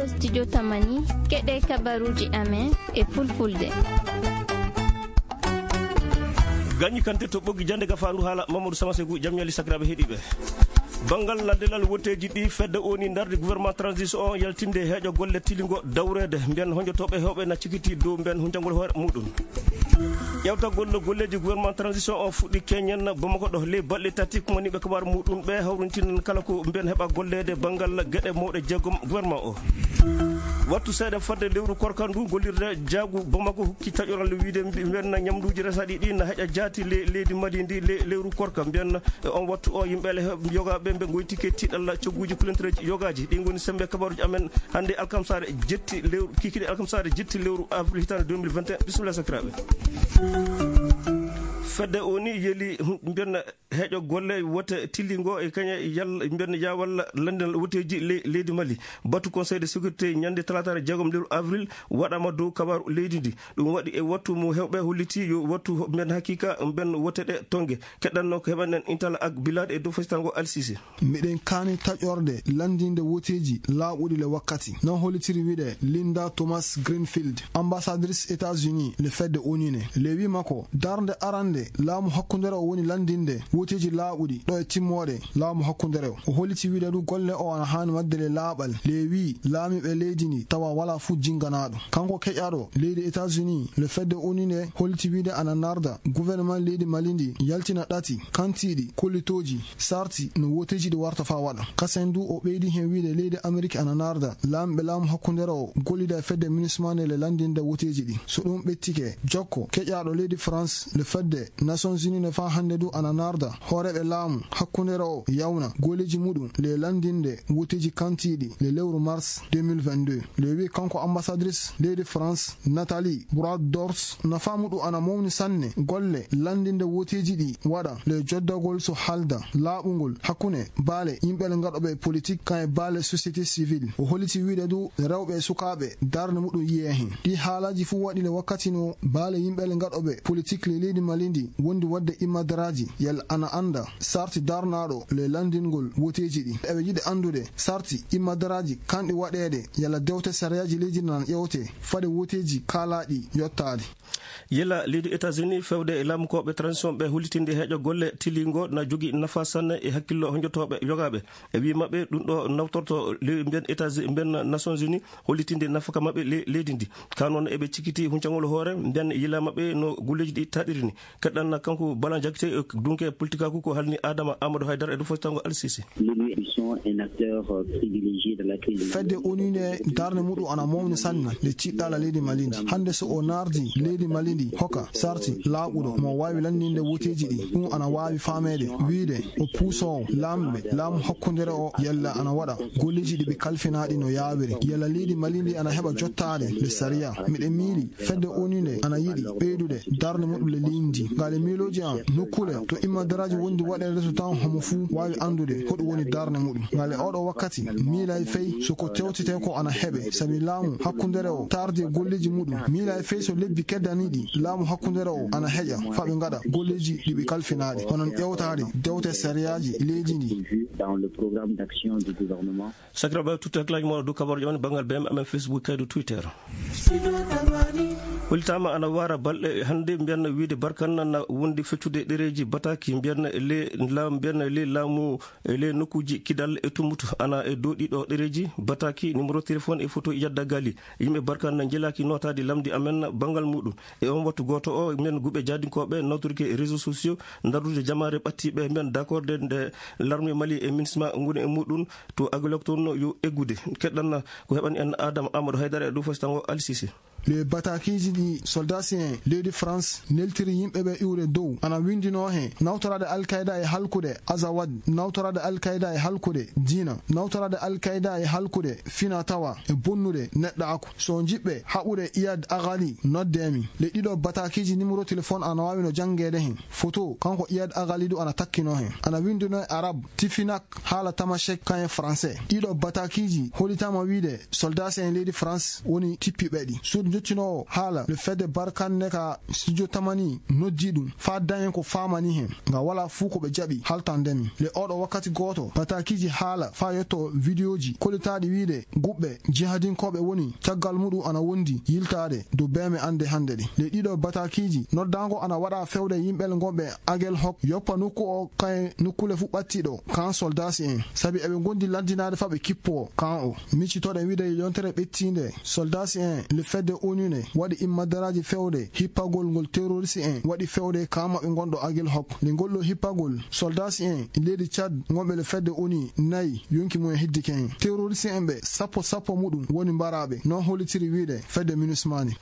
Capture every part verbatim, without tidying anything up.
Studio Tamani, keɗee kabaruuji amen e Fulfulde. Gañi Kante to Ɓoggi Jannde, Gafaandu Haala, Mamadou Sama Segu. Jam ñalli sakiraaɓe heɗiiɓe. Banngal landinal wotteeji ɗi, fedde O N U ndardi gouvernement transition on yaltinde heeƴo golle tilingo dawreede mbiyen honjotooɓe heewɓe na cikiti dow mbiyen hunjangol hoore muɗum. Ƴeewtagol golleeji gouvernement transition o fuɗɗi keñen Bamako ɗo. Ley balɗe tati, kumaniiɓe kabaaru muɗum ɓe hawrintinan kala ko mbiyen heɓa golleede banngal geɗe mawɗe jeegom gouvernement o. Wattu seeɗa fadde lewru korka ndu, gollirde jaagu Bamako hokki taƴoral wiide mbi-, mbiyen ñamduuji resaaɗi ɗi na heƴa jaati le-, leydi Mali ndi le-, lewru korka. Mbiyen e on wattu o, yimɓe le-, yogaaɓe ɓe ngoytike tiiɗalla cogguuji kulentereeji yogaaji. Ɗi ngoni semmbe kabaaruuji amen hannde alkamsaare jetti lewru, kikiiɗe alkamsaare jetti lewru avril hitaande deux mille vingt et un. Bisimilla sakiraaɓe. Fedde O N U yeli, hm, mbiyen heeƴo golle wote tillingo e kañe yalla mbiyen yaa walla landinal woteeji le-, leydi Mali. Batu Conseil de sécurité ñande talaataare jeegom lewru avril waɗaama dow kabaaru leydi ndi. Ɗum waɗi e wattu mo heewɓe holliti yo wattu ho-, mbiyen hakiika mbiyen wote ɗe tonnge. Keɗɗanno ko heɓanen Intala ak Bilade e dow fesitango Alsise. Miɗen kaani taƴorde lanndinde woteeji laaɓuɗi le wakkati. Non hollitiri wi'de Linda Thomas Greenfield, ambassadrice États-Unis le fedde O N U ne. Le wii makko, darnde arande laamu hakkundere o woni lanndinde woteeji laaɓuɗi ɗo e timmoode laamu hakkundere o. O holliti wi'de du golle o ana haani waɗde le laaɓal. Le wii laamiiɓe leydi ndi tawa walaa fuu jinnganaaɗo. Kanko keƴaaɗo leydi États-Unis le fedde O N U ne holliti wi'de ana narda gouvernement leydi Mali ndi yaltina ɗati kantiiɗi kollitooji sarti no woteeji ɗi warta faa waɗa. Kasen du o ɓeydi hen wi'de leydi Amerik ana narda laamiiɓe laamu hakkundere o gollida e fedde MINUSMA nde le lanndinde woteeji ɗi. So ɗum ɓettike, jokko keƴaaɗo leydi France le fedde Nations Unies ne faa hannde du ana narda hooreeɓe laamu hakkundere o yawna golleeji muɗum le lanndinde woteeji kantiiɗi le lewru mars deux mille vingt-deux. Le wii kanko ambassadrice leydi France Nathalie Brodors, nafaa muɗum ana mawni sanne golle lanndinde woteeji ɗi waɗa le joddagol so haalda laaɓungol hakkunde baale yimɓe le gaɗooɓe politik kan e baale société civile. O holliti wi'de du rewɓe e sukaaɓe darnde muɗum yiyee hen. Ɗii haalaaji fuu waɗi le wakkati no baale yimɓe le gaɗooɓe politik le leydi Mali ndi wondi waɗde immadaraaji yalla ana annda sarti darnaaɗo le lanndingol woteeji ɗi. Eɓe yiɗi anndude sarti immadaraaji kanɗi waɗeede yalla dewte sariyaaji leydi nan ƴeewte fade woteeji kaalaaɗi yottaade. Yila leydi États-Unis fewde e laamukooɓe transition ɓe hollitinde heeƴo golle tilingo na jogii nafa sanne e hakkillo honjotooɓe yogaaɓe. E wii maɓɓe ɗum ɗo nawtorto le-, mbiyen États-, mbiyen Nations Unies hollitinde nafaka maɓɓe le-, leydi ndi. Kaa noon eɓe cikiti huncangol hoore mbiyen yila maɓɓe no golleeji ɗi taɗiri ni. Keɗɗan kanko Balan Jakite, dunke politikaaku ko halni Adama Amadou Haydara e dow fotango Alsisi. L'U E sont un acteur, euh, privilégié dans la crise. Fedde O N U nde darnde muɗum ana mawni sanne nde ciɗɗaala leydi Mali ndi. Hannde so o naardi leydi Mali ndi hoka sarti laaɓuɗo mo waawi lanndinde woteeji ɗi, ɗum ana waawi faameede wiide o puusoowo laamɓe laamu hakkundere o yalla ana waɗa golleeji ɗi ɓe kalfinaaɗi no yaawiri, yalla leydi Mali ndi ana heɓa jottaade le sariya. Miɗen miili fedde O N U nde ana yiɗi ɓeydude darnde muɗum le leydi ndi. Ngal e miilooji am, nokkuule to immadaraaji wondi waɗeede so tawa homo fuu waawi anndude hoɗum woni darnde muɗum. Ngal e ooɗoo wakkati, miilay fey so ko tewtetee ko ana heɓe, sabi laamu hakkundere o taardi e golleeji muɗum. Miilay fey so lebbi keddaniiɗi laamu hakkundere o ana heƴa faa ɓe ngaɗa golleeji ɗi ɓe kalfinaaɗi, hono ƴeewtaade dewte sariyaaji leydi ndi. Dans le programme d'action du gouvernement. Sakiraaɓe, tutte hakkillaaji mooɗon dow kabaaruuji amen banngal B M amen Facebook kay dow Twitter. Hollitaama ana wara balɗe hannde, mbiyen wiide Barkan na wondi feccude ɗereeji bataki, mbiyen le la-, mbiyen le laamu e le nokkuuji Kidal e Tumbutu. Ana e dow ɗiɗo ɗereeji bataki, numéro téléphone e photo yadda gali. Yimɓe Barkan na njilaaki nootaade lamndi amen banngal muɗum. E on wattu gooto o, mbiyen guɓe jaadinkooɓe nawtorike réseaux sociaux, ndardude jamaare ɓattiiɓe, mbiyen d'accord de nde l'armée Mali e MINUSMA ngoni e muɗum. To Agulok toon yo eggude. Keɗɗan ko heɓani en Adama Amadou Haydara e dow fasitango Alsisi. Le batakiiji ɗi soldaasi en leydi France neltiri yimɓe ɓe iwre dow ana winndinoo hen nawtoraade Al-Qaida e halkude Azawad, nawtoraade Al-Qaida e halkude diina, nawtoraade Al-Qaida e halkude fina tawa e bonnude neɗɗaaku. So njiɗɓe haɓude Iyad Agali, noddee mi. Le ɗiɗo batakiiji numéro téléphone ana waawi no janngeede hen. Photo kanko Iyad Agali du ana takkinoo hen. Ana winndinoo e Arab, Tifinak, haala Tamashek, kan e Français. Ɗiɗo batakiiji hollitaama wiide soldaasi en leydi France woni tippiiɓe ɗi. Suudu Jottinoowo haala le fedde barkanne ka studio tamani noddi ɗum faa dañen ko faamani hen. Ngam walaa fuu ko ɓe jaɓi haltande mi. Le oɗo wakkati gooto, bataakiiji haala faa yetto vidiyooji kollitaaɗi wiide guɓɓe jihadinkooɓe woni caggal muɗum ana wondi yiltaade dow beeme annde hannde ɗi. Le ɗiɗo bataakiiji noddaango ana waɗa fewde yimɓe ngonɓe Agel Hok yoppa nokku o kay nokkuule fuu ɓattiɗo kan soldaasi en. Sabi eɓe ngondi lanndinaade faa ɓe kippoo kan o. Miccitoɗen wiide yontere ɓettiinde soldaasi en le fedde onu ne waɗi immadaraaji fewde hippagol ngol terorisi en waɗi fewde kan maɓɓe ngonɗo Agel Hok. Nde ngol ɗo hippagol soldaasi en leydi Cad ngonɓe le fedde onu nayi yonki mum en hiddike hen. Terorisi en ɓe sappo sappo muɗum woni mbaraaɓe. Non hollitiri wiide fedde minusmani.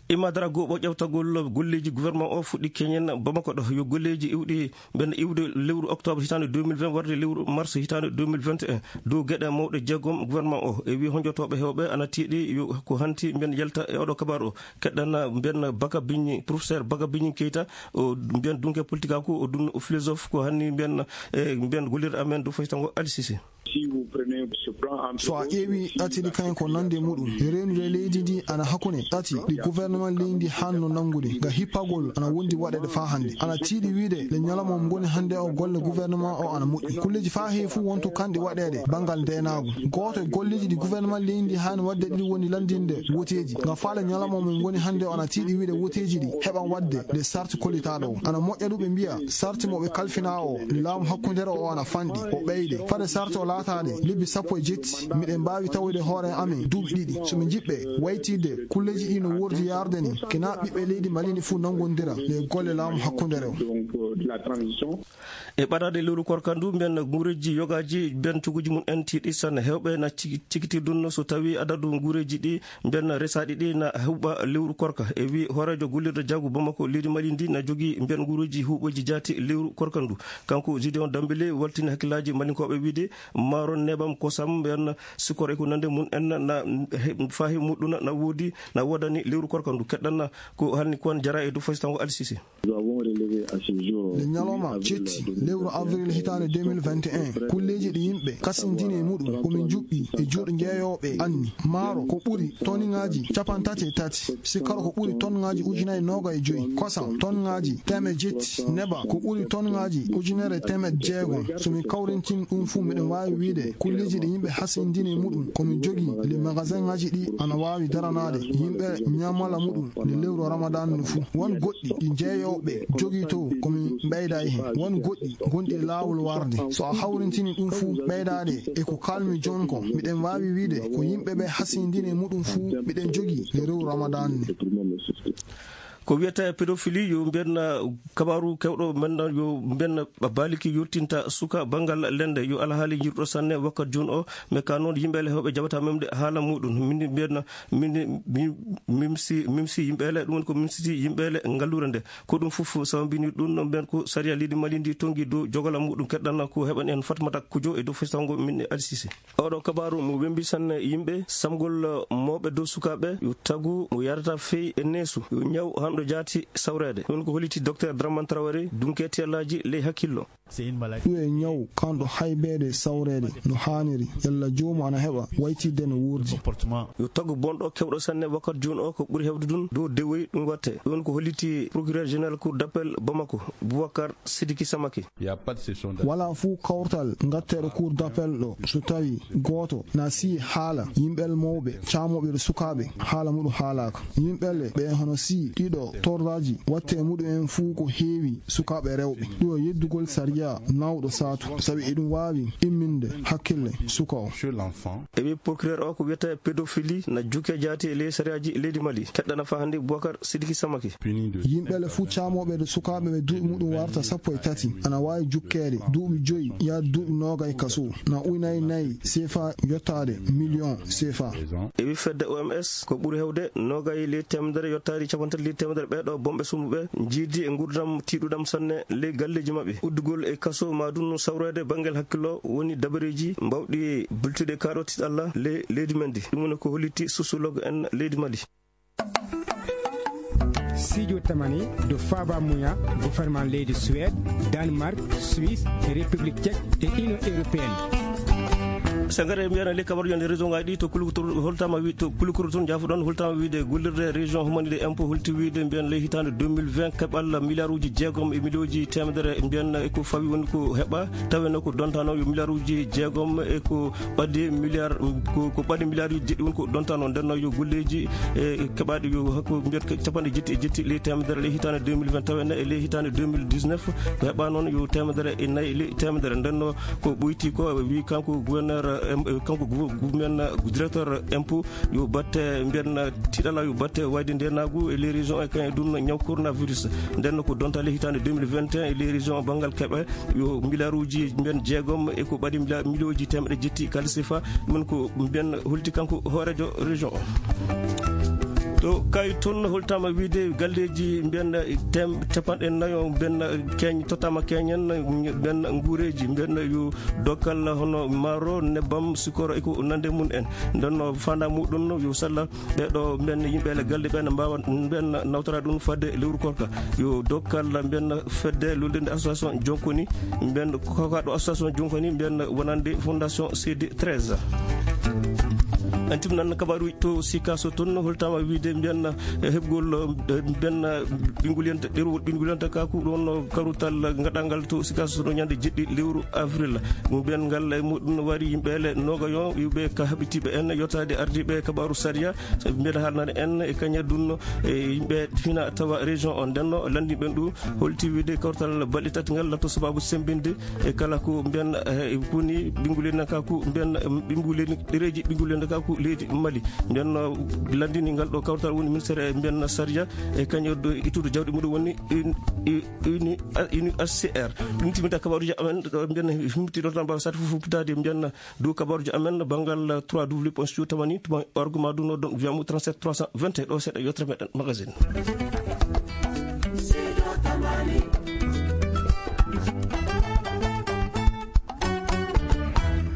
Imadara goo ɓo ƴewtagol golleeji gouvernement o fuɗɗi keñen Bamako ɗo. Yo golleeji iwɗi mben iwde lewru octobre hitaande deux mille vingt warde lewru mars hitaande deux mille vingt et un dow geɗe mawɗe jeegom gouvernement o. E wii honjotooɓe heewɓe ana tiiɗi yo ko hanti mben yalta e oɗo kabaar o. Keɗɗana mben Baka Biñi, professeur Baka Biñi Keita, o mben dunke politikaaku, o dun o philosophe ko hanni mben, e mben gollirɗo amen dow faytango Alsisi. Si vous prenez ce plan en So a ƴeewi ɗati ɗi kañum ko nande muɗum. E reenude leydi ndi ana hakkunde ɗati ɗi gouvernement leydi ndi hanno nanngude. Nga hippagol ana wondi waɗeede faa hannde. Ana tiiɗi wiide le ñalawma mo ngoni hannde o golle gouvernement o ana moƴƴi. Kulleeji faa heewi fuu wontu kanɗi waɗeede banngal ndeenaagu. Gooto e golleeji ɗi gouvernement leydi ndi haani waɗde ɗiɗi woni lanndinde woteeji. Nga faale ñalawma mo ngoni hannde o ana tiiɗi wiide woteeji ɗi heɓan waɗde nde sarti kollitaaɗo o. Ana moƴƴa ɗum ɓe mbiya sarti mo ɓe kalfinaa o laamu hakkundere o ana fanɗi, o ɓeyde. Fade sarti o laataade lebbi sappo e jetti, miɗen mbaawi tawoyde hoore amen duuɓi ɗiɗi. So ɓe njiɗɓe waytidde kulleeji ɗi no woordi yaarde ni, kena ɓiɓɓe leydi Mali ndi fuu nanngondira le golle laamu hakkundere o. Donc, euh, de la transition. E ɓadaade lewru korka ndu, mben nguureeji yogaaji, mben coguuji mum en tiiɗi sanne. Heewɓe na ciki-, cikitii ɗum so tawii adadu nguureeji ɗi mben resaaɗi ɗi na huuɓa lewru korka. E wii hooreejo gollirɗo jaagu Bamako, leydi Mali ndi na jogii mben nguureeji huuɓooji jaati lewru korka ndu. Kanko Gideon Dambélé waltini hakkillaaji Malinkooɓe wiide maaro, nebam, kosam, mben sikkoro e ko nande mum en na, na he-, faahi muɗum na woodi, na woodani lewru korka ndu. Keɗɗan ko hanni kon jara e dow fasitango Alsisi. Nous avons relevé à ce jour, Le ñalawma cetti lewru avril hitaande deux mille vingt et un, kulleeji ɗi yimɓe kasindini e muɗum ko min njuɓɓi e juuɗe jeeyooɓe anni. Maaro ko ɓuri toniŋaaji capanɗe tati e tati, sikkoro ko ɓuri toniŋaaji ujunaaji noogay e joy, kosam toniŋaaji teemeɗɗe jetti, neba ko ɓuri toniŋaaji ujunere teemeɗɗe jeegom. So min kawrintini ɗum fuu, miɗen waawi wiide kulleeji ɗi yimɓe hasindini e muɗum ko min jogii, le magasinŋaaji ɗi ana waawi daranaade yimɓe ñamala muɗum nde lewru Ramadan ndu fuu. Won goɗɗi ɗi jeeyooɓe jogii to ko min ɓeyda e hen. Won goɗɗi gonɗi e laawol warde. So a hawrintini ɗum fuu ɓeydaade e ko kaalmi jooni ko, miɗen waawi wiide ko yimɓe ɓe hasindini e muɗum fuu miɗen jogii le rewu Ramadan nde. Ko wiyata pédophilie, yo mbiyen kabaaru keewɗo men, yo mbiyen baaliki yottinta suka banngal lende, yo alhaali njirɗo sanne wakkat jooni o. Mais ka noon yimɓe le heewɓe jaɓata memde haala muɗum. Min mbiyen, min, min, mimsi, mimsi yimɓe le, ɗum woni ko mimsiti yimɓe le ngalluure nde. Ko ɗum fof sababini ɗum, no mbiyen ko sariya leydi Mali ndi tonngi dow jogala muɗum. Keɗɗan ko heɓan en Fatmata Kujo e dow festango min e Alsisi. Oɗo kabaaru mo wembi sanne yimɓe, samgol mawɓe dow sukaaɓe, yo tagu mo yarata fey e neesu, yo ñaw hanɗo jaati sawreede. Ɗum ko holliti Docteur Dramane Traoré, dunke tiyallaaji ley hakkillo. Ɗum e ñaw kanɗo haybeede sawreede no haaniri, yalla joomu ana heɓa waytidde no wuurdi. Yo tagu bonɗo keewɗo sanne wakkat jooni o ko ɓuri heewde ɗum dow dewoy ɗum watte. Ɗum ko holliti Procureur Général Cour d'Appel Bamako, Boubacar Sidiki Samake. Walaa fuu kawtal ngatteeɗo Cour d'appel ɗo, so tawii gooto na sii haala yimɓe mawɓe, caamooɓe e sukaaɓe, haala muɗum haalaaka. Yimɓe le ɓe hono sii ɗiɗo tordaaji watte muɗum en fuu ko heewi sukaaɓe rewɓe. Ɗum o yeddugol sariya nawɗo saatu, sabi eɗum waawi imminde hakkille suka o. E wi procureur o ko wiyata pédophilie na jukke jaati e ley sariyaaji leydi Mali. Keɗɗana faa hannde Boubacar Sidiki Samake. Yimɓe le fuu caamooɓe e sukaaɓe ɓe duuɓi muɗum warta sappo e tati, ana waawi jukkeede duuɓi joyi yaade duuɓi noogay kaso, na ujunaaji nayi sefa yottaade miliyon sefa. E wi fedde O M S, ko ɓuri heewde noogay ley teemedere yottaade capanɗe tati ley teemedere ɓee ɗoo bonɓe sumbuɓe njiidi e nguurndam tiiɗuɗam sanne ley galleeji maɓɓe. Uddugol e kaso maa ɗum sawreede banngel hakkillo woni dabareeji mbawɗi bultude kaa ɗoo tiiɗalla ley leydi men ndi. Ɗum woni ko holliti sociologue en leydi Mali. Siijo tamani dow faaba muya gouvernement leydi Suède, Danemark, Suisse, République tchèque e Union européenne. Sangare mbiyen ley kabaruuji ɗi région ngaji ɗi to Kulukuru, holtaama wi-, to Kulukuru tun, njaafoɗon, holtaama wiide gollirde région humaniɗe impôt holti wiide mbiyen ley hitaande deux mille vingt keɓal miliyaaruuji jeegom e miliyooji teemedere mbiyen e ko fawi woni ko heɓa, tawenoo ko dontaanoo yo miliyaaruuji jeegom e ko ɓadii miliyaar, ko, ko ɓadii miliyaaruuji jeɗɗi woni ko dontaanoo. Nden noon yo golleeji, e, keɓaaɗi yo hakko mbiyen ko capanɗe jetti e jetti ley teemedere ley hitaande deux mille vingt tawenoo e ley hitaande deux mille dix-neuf ko heɓaa noon yo teemedere e nayi ley teemedere. Nden noon ko ɓoyti ko, wi kanko gouverneur, em, kanko gou-, gouverneur, directeur impôt, yo batte mbiyen tiiɗalla, yo batte wayde ndeenaagu e ley région e kañum e ɗum ñaw coronavirus. Nden noon ko donta ley hitaande deux mille vingt et un e ley région banngal keɓe yo miliyaaruuji mbiyen jeegom e ko ɓadii miliya-, miliyooji teemedde jetti kaalis sefa. Ɗum woni ko mbiyen holti kanko hooreejo région o. To Kaayi tun holtaama wiide galleeji mbiyen tem-, capanɗe nayo mbiyen keeñ-, tottaama keeñen mbiyen nguureeji mbiyen yo dokkal hono maaro, nebbam, sukoro e ko nandi e mum en. Nden noon faandaare muɗum yo sella ɓee ɗoo mbiyen yimɓe e galleeji ɓee ne mbaawa mbiyen nawtora ɗum fadde lewru koorka. Yo dokkal mbiyen fedde luulnde association Jonkoni mbiyen kokaaɗo association Jonkoni mbiyen wonande fondation C D treize. En timminan kabaaruuji to Sikaso tun, holtaama wiide mbiyen, eh, heɓgol, eh, mbiyen, eh, ɓinngol yonta, ɗerewol ɓinngol yonta kaku ɗon, eh, karutal gaɗangal to Sikaso ɗo ñande jeɗɗi lewru avril. Mbiyen ngal e muɗum wari yimɓe le noogayo, yimɓe ka haɓitiiɓe en, yottaade ardiiɓe kabaaru sariya, mbiyen haalnani en e kañum ɗum, e yimɓe fina tawa région on. Nden noon lanndinɓe ɗum, holti wiide kawtal balɗe tati ngal latto sababu semmbinde e kala ko mbiyen, eh, koni ɓinngol yonta kaku mbiyen, em, ɓinngol yonta, ɗereeji ɓinngol yonta kaku leydi Mali. Nden noon lanndini ngal ɗo kawtal woni ministère e mbiyen sariya e kañum ɗo ittude jawdi muɗum woni uni-, uni-, U N H C R. Ɗum timmita kabaaruuji amen ɗo mbiyen himti ɗo tan mbawa sati fof fuppitaade mbiyen dow kabaaruuji amen banngal trois W point studio tamani point org ma ɗum no ɗon wiyamu trente-sept trois cent vingt et un ɗo seeɗa yottere meɗen magazine.